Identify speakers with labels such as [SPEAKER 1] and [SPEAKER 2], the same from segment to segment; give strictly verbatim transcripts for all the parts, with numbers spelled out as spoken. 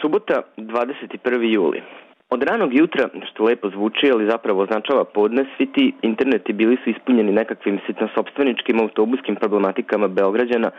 [SPEAKER 1] Subota, dvadeset prvi juli. Od ranog jutra, što lepo zvuči, ali zapravo označava podne, svi ti interneti bili su ispunjeni nekakvim sitnosopstveničkim autobuskim problematikama Beograđana,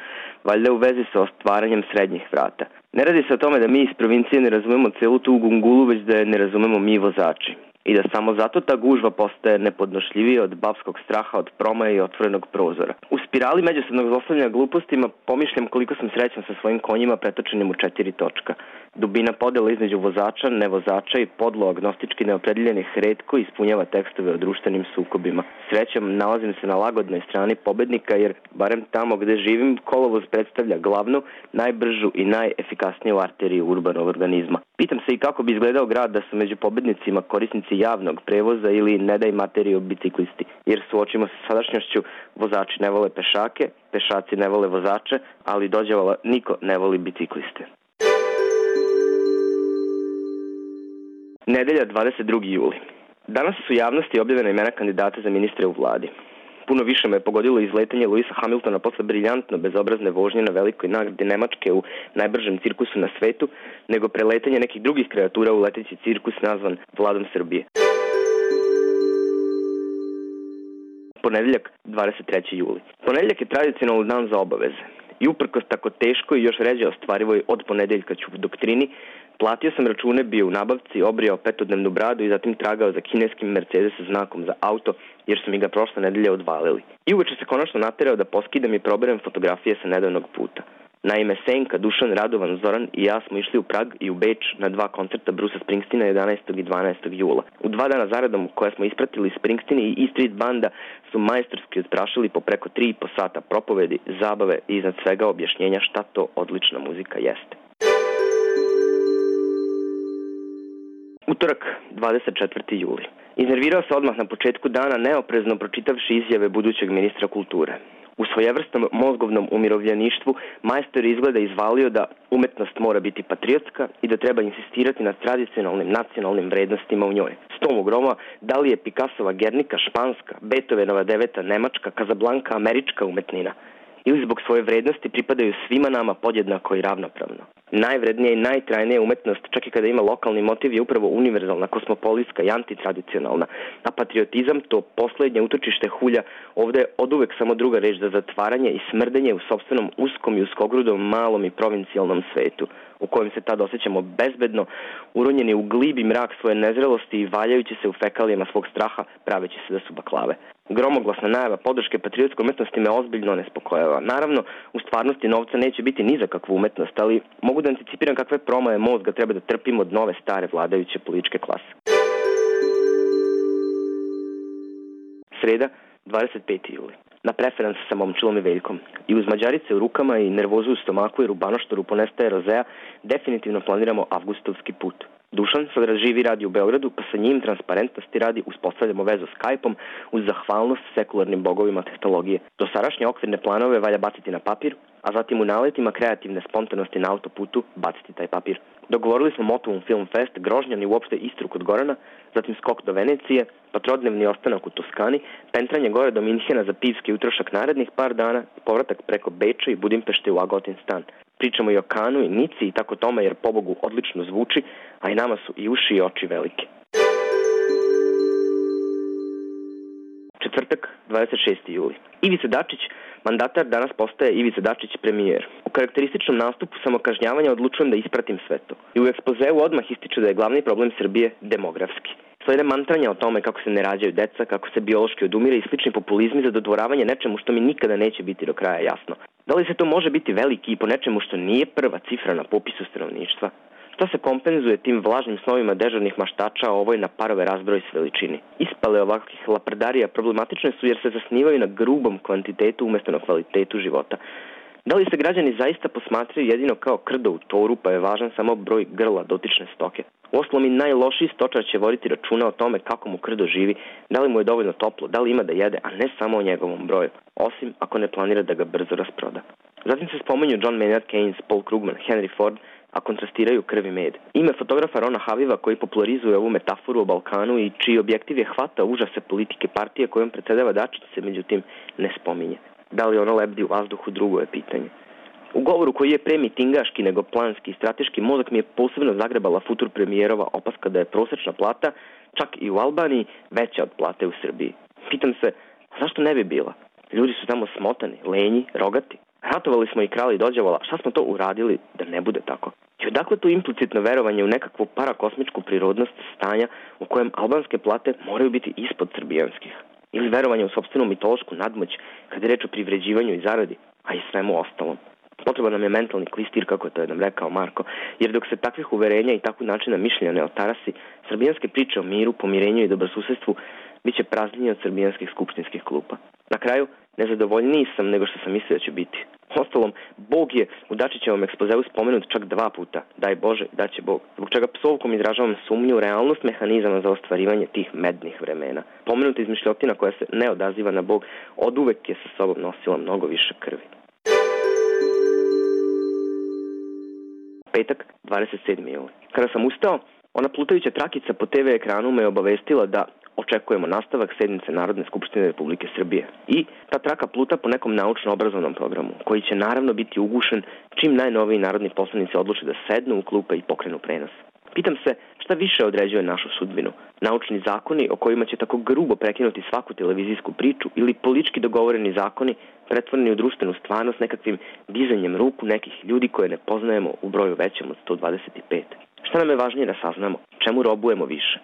[SPEAKER 1] valjda u vezi sa ostvaranjem srednjih vrata. Ne radi se o tome da mi iz provincije ne razumemo celu tu gungulu, već da je ne razumemo mi vozači. I da samo zato ta gužva postaje nepodnošljivija od babskog straha od promaja i otvorenog prozora. U spirali međusobnog zlostavljanja glupostima pomišljam koliko sam srećan sa svojim konjima pretočenim u četiri točka. Dubina podela između vozača, nevozača i podlo agnostički neopredeljenih retko ispunjava tekstove o društvenim sukobima. Srećom, nalazim se na lagodnoj strani pobednika jer, barem tamo gde živim, kolovoz predstavlja glavnu, najbržu i najefikasniju arteriju urbanog organizma. Pitam se i kako bi izgledao grad da su među pobednicima korisnici javnog prevoza ili ne daj materiju biciklisti, jer suočimo se sa sadašnjošću, vozači ne vole pešake, pešaci ne vole vozače, ali dođevala niko ne voli bicikliste. Nedelja, dvadeset drugi juli. Danas su javnosti objavljena imena kandidata za ministre u vladi. Puno više me je pogodilo izletanje Luisa Hamiltona posle briljantno bezobrazne vožnje na velikoj nagradi Nemačke u najbržem cirkusu na svetu, nego preletanje nekih drugih kreatura u leteći cirkus nazvan Vladom Srbije. Ponedeljak, dvadeset treći juli. Ponedeljak je tradicionalno dan za obaveze. I uprkos tako teško i još ređe ostvarivoj od ponedeljka ću u doktrini, platio sam račune, bio u nabavci, obrijao petodnevnu bradu i zatim tragao za kineskim Mercedes znakom za auto, jer su mi ga prošle nedelje odvalili. I uveče se konačno naterao da poskidam i proberem fotografije sa nedavnog puta. Naime, Senka, Dušan, Radovan, Zoran i ja smo išli u Prag i u Beč na dva koncerta Brusa Springsteena jedanaestog i dvanaestog jula. U dva dana zaradom koje smo ispratili Springsteen i E Street banda su majstorski odprašili po preko tri i po sata propovedi, zabave i iznad svega objašnjenja šta to odlična muzika jeste. Utorak, dvadeset četvrti juli. Iznervirao se odmah na početku dana neoprezno pročitavši izjave budućeg ministra kulture. U svojevrsnom mozgovnom umirovljeništvu majstor izgleda izvalio da umetnost mora biti patriotska i da treba insistirati na tradicionalnim nacionalnim vrednostima u njoj. Stom groma, da li je Picassova Gernika španska, Beethovenova deveta nemačka, Kazablanka američka umetnina? Ili zbog svoje vrednosti pripadaju svima nama podjednako i ravnopravno. Najvrednija i najtrajnija umetnost, čak i kada ima lokalni motiv, je upravo univerzalna, kosmopolitska i antitradicionalna. A patriotizam, to poslednje utočište hulja, ovde je oduvek samo druga reč za zatvaranje i smrdenje u sopstvenom uskom i uskogrudom malom i provincijalnom svetu, u kojem se tad osjećamo bezbedno, uronjeni u glibi mrak svoje nezrelosti i valjajući se u fekalijama svog straha, praveći se da su baklave. Gromoglasna najava podrške patriotskoj umetnosti me ozbiljno nespokojava. Naravno, u stvarnosti novca neće biti ni za kakvu umetnost, ali mogu da anticipiram kakve promaje mozga treba da trpimo od nove stare vladajuće političke klase. Sreda, dvadeset peti juli. Na preferans sa momčilom i Veljkom. I uz mađarice u rukama i nervozu u stomaku jer u Banoštoru ponestaje rozea, definitivno planiramo avgustovski put. Dušan sada živi radi u Beogradu, pa sa njim transparentnosti radi uspostavljamo vezu Skype-om uz zahvalnost sekularnim bogovima tehnologije. Dosadašnje okvirne planove valja baciti na papir, a zatim u naletima kreativne spontanosti na autoputu baciti taj papir. Dogovorili smo Motovum Film Fest, Grožnjan i uopšte Istru kod Gorana, zatim skok do Venecije, pa trodnevni ostanak u Toskani, pentranje gore do Minhena za pivski utrošak narednih par dana, povratak preko Beča i Budimpešte u Agotin stan. Pričamo i o Kanu i Nici i tako tome jer pobogu odlično zvuči, a i nama su i uši i oči velike. Četvrtak, dvadeset šesti juli. Ivica Dačić, mandatar, danas postaje Ivica Dačić premijer. U karakterističnom nastupu samokažnjavanja odlučujem da ispratim sve to. I u ekspozeu odmah ističe da je glavni problem Srbije demografski. Slede mantranja o tome kako se ne rađaju deca, kako se biološki odumire i slični populizmi za dodvoravanje nečemu što mi nikada neće biti do kraja jasno. Da li se to može biti veliki i po nečemu što nije prva cifra na popisu stanovništva? Šta se kompenzuje tim vlažnim snovima dežurnih maštača, a ovoj na parove razbroj s veličini? Ispale ovakvih laprdarija problematične su jer se zasnivaju na grubom kvantitetu umjesto na kvalitetu života. Da li se građani zaista posmatraju jedino kao krdo u toru, pa je važan samo broj grla dotične stoke? Uostalom i najlošiji stočar će voditi računa o tome kako mu krdo živi, da li mu je dovoljno toplo, da li ima da jede, a ne samo o njegovom broju, osim ako ne planira da ga brzo rasproda. Zatim se spomenju John Maynard Keynes, Paul Krugman, Henry Ford, a kontrastiraju krv i med. Ime fotografa Rona Haviva koji popularizuje ovu metaforu o Balkanu i čiji objektiv je hvata užase politike partije kojom predsedava Dačić se međutim ne spominje. Da li ono lebdi u vazduhu, drugo je pitanje. U govoru koji je pre mitingaški nego planski i strateški, mozak mi je posebno zagrebala futur premijerova opaska da je prosečna plata, čak i u Albaniji, veća od plate u Srbiji. Pitam se, zašto ne bi bila? Ljudi su tamo smotani, lenji, rogati. Ratovali smo i krali dođevala, šta smo to uradili da ne bude tako? I odakle to implicitno verovanje u nekakvu parakosmičku prirodnost stanja u kojem albanske plate moraju biti ispod srbijanskih? Ili verovanje u sopstvenu mitološku nadmoć kada je reč o privređivanju i zaradi, a i svemu ostalom? Potreban nam je mentalni klistir, kako to je nam rekao Marko, jer dok se takvih uverenja i takvog načina mišljenja ne otarasi, srbijanske priče o miru, pomirenju i dobrosusedstvu biće praznije od srbijanskih skupštinskih klupa. Na kraju, nezadovoljniji sam nego što sam mislio da će biti. Ostalom, Bog je u Dačićevom ekspozeu spomenut čak dva puta, daj Bože, daće Bog, zbog čega psovkom izražavam sumnju u realnost mehanizama za ostvarivanje tih mednih vremena. Pomenuta izmišljotina koja se ne odaziva na Bog oduvek je sa sobom nosila mnogo više krvi. Petak, dvadeset sedmi juli. Kada sam ustao, ona plutajuća trakica po te ve ekranu me je obavestila da očekujemo nastavak sednice Narodne skupštine Republike Srbije. I ta traka pluta po nekom naučno-obrazovnom programu, koji će naravno biti ugušen čim najnoviji narodni poslanici odluče da sednu u klupe i pokrenu prenos. Pitam se šta više određuje našu sudbinu. Naučni zakoni o kojima će tako grubo prekinuti svaku televizijsku priču ili politički dogovoreni zakoni pretvoreni u društvenu stvarnost nekakvim dizanjem ruku nekih ljudi koje ne poznajemo u broju većem od sto dvadeset pet. Šta nam je važnije da saznamo? Čemu robujemo više?